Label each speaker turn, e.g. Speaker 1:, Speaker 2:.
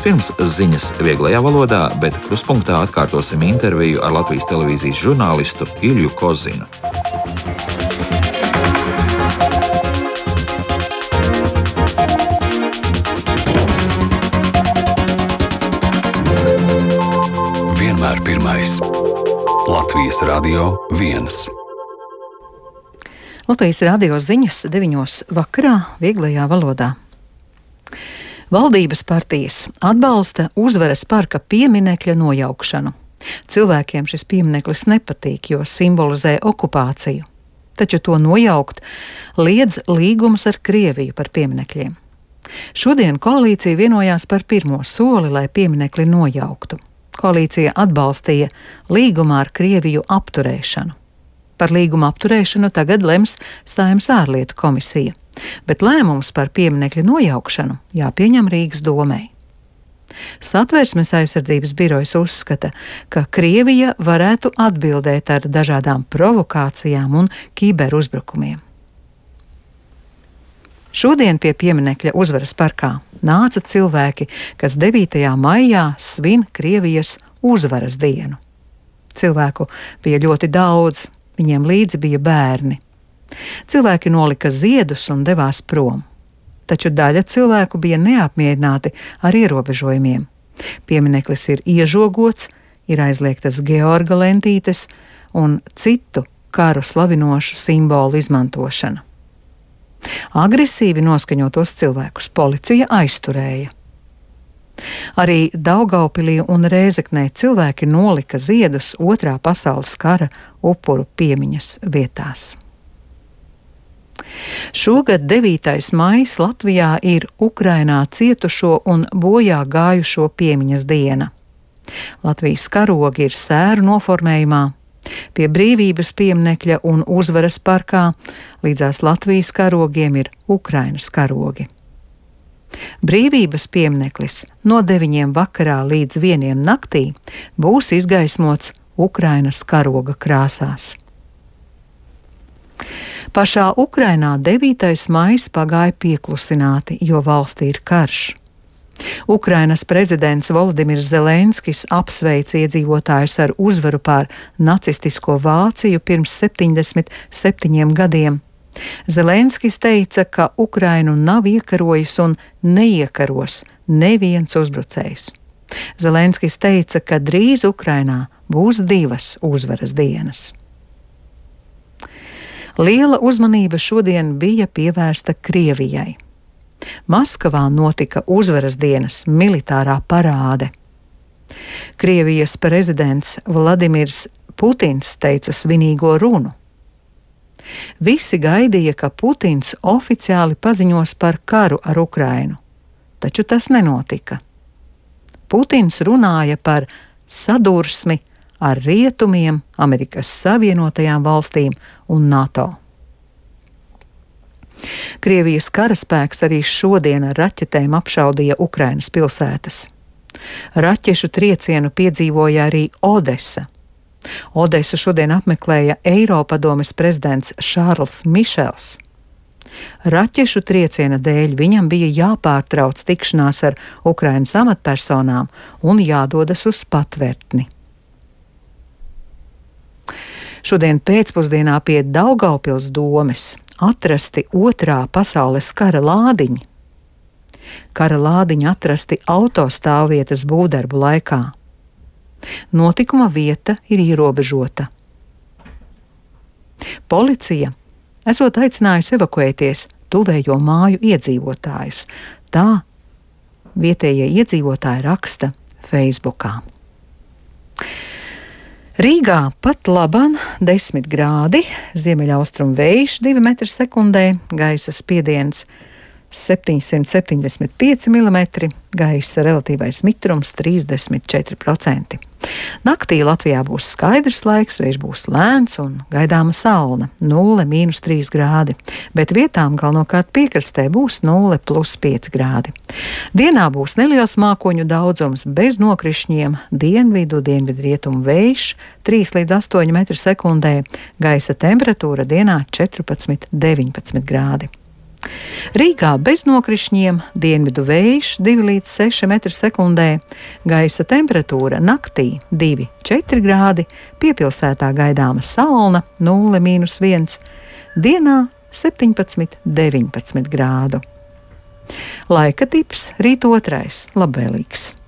Speaker 1: Vispirms ziņas vieglajā valodā, bet kruspunktā atkārtosim interviju ar Latvijas televīzijas žurnālistu Ilju Kozinu.
Speaker 2: Vienmēr pirmais. Latvijas Radio 1.
Speaker 3: Latvijas radio ziņas 9 vakarā vieglajā valodā. Valdības partijas atbalsta Uzvaras parka pieminekļa nojaukšanu. Cilvēkiem šis piemineklis nepatīk, jo simbolizē okupāciju. Taču to nojaukt liedz līgums ar Krieviju par pieminekļiem. Šodien koalīcija vienojās par pirmo soli, lai pieminekli nojauktu. Koalīcija atbalstīja līgumā ar Krieviju apturēšanu. Par līguma apturēšanu tagad lems Saeimas ārlietu komisija, bet lēmums par pieminekļa nojaukšanu jāpieņem Rīgas domei. Satversmes aizsardzības birojas uzskata, ka Krievija varētu atbildēt ar dažādām provokācijām un kiberuzbrukumiem. Šodien pie pieminekļa Uzvaras parkā nāca cilvēki, kas 9. maijā svin Krievijas uzvaras dienu. Cilvēku bija ļoti daudz, viņiem līdzi bija bērni. Cilvēki nolika ziedus un devās prom. Taču daļa cilvēku bija neapmierināti ar ierobežojumiem. Piemineklis ir iežogots, ir aizliegtas Georga lentītes un citu karu slavinošu simbolu izmantošana. Agresīvi noskaņotos cilvēkus policija aizturēja. Arī Daugaupilī un Rēzeknē cilvēki nolika ziedus Otrā pasaules kara upuru piemiņas vietās. Šogad 9. maijs Latvijā ir Ukrainā cietušo un bojā gājušo piemiņas diena. Latvijas karogi ir sēru noformējumā. Pie Brīvības pieminekļa un Uzvaras parkā līdzās Latvijas karogiem ir Ukrainas karogi. Brīvības piemineklis no 9 vakarā līdz 1 naktī būs izgaismots Ukrainas karoga krāsās. Pašā Ukrainā 9. maijs pagāja pieklusināti, jo valstī ir karš. Ukrainas prezidents Volodimirs Zelenskis apsveica iedzīvotājus ar uzvaru pār nacistisko Vāciju pirms 77 gadiem. Zelenskis teica, ka Ukrainu nav iekarojis un neiekaros neviens uzbrucējs. Zelenskis teica, ka drīz Ukrainā būs 2 uzvaras dienas. Liela uzmanība šodien bija pievērsta Krievijai. Maskavā notika Uzvaras dienas militārā parāde. Krievijas prezidents Vladimirs Putins teica svinīgo runu. Visi gaidīja, ka Putins oficiāli paziņos par karu ar Ukrainu, taču tas nenotika. Putins runāja par sadursmi ar Rietumiem, Amerikas Savienotajām valstīm un NATO. Krievijas karaspēks arī šodien ar raķetēm apšaudīja Ukrainas pilsētas. Raķešu triecienu piedzīvoja arī Odesa. Odesu šodien apmeklēja Eiropadomes prezidents Šārls Mišels. Raķešu trieciena dēļ viņam bija jāpārtrauc tikšanās ar Ukrainas amatpersonām un jādodas uz Patvērtni. Šodien pēcpusdienā pie Daugaupils domes atrasti Otrā pasaules kara lādiņi. Kara lādiņi atrasti autostāvvietas būvdarbu laikā. Notikuma vieta ir ierobežota. Policija esot aicinājusi evakuēties tuvējo māju iedzīvotājus. Tā vietējie iedzīvotāji raksta Facebookā. Rīgā pat laban 10 grādi, ziemeļaustrumu vējš 2 metri sekundē, gaisa spiediens 775 mm, gaisa relatīvais mitrums 34%. Naktī Latvijā būs skaidrs laiks, vējš būs lēns un gaidāma saule 0–3 grādi, bet vietām galvenokārt piekrastē būs 0+5 grādi. Dienā būs neliels mākoņu daudzums bez nokrišņiem, dienvidu-dienvidrietumu vējš 3–8 metri sekundē, gaisa temperatūra dienā 14–19 grādi. Rīgā bez nokrišņiem, dienvidu vējš 2 līdz 6 m/sekundē, gaisa temperatūra naktī 2–4 grādi, piepilsētā gaidāma salna 0–1, dienā 17–19 grādu. Laika tips rīt 2. labvēlīgs.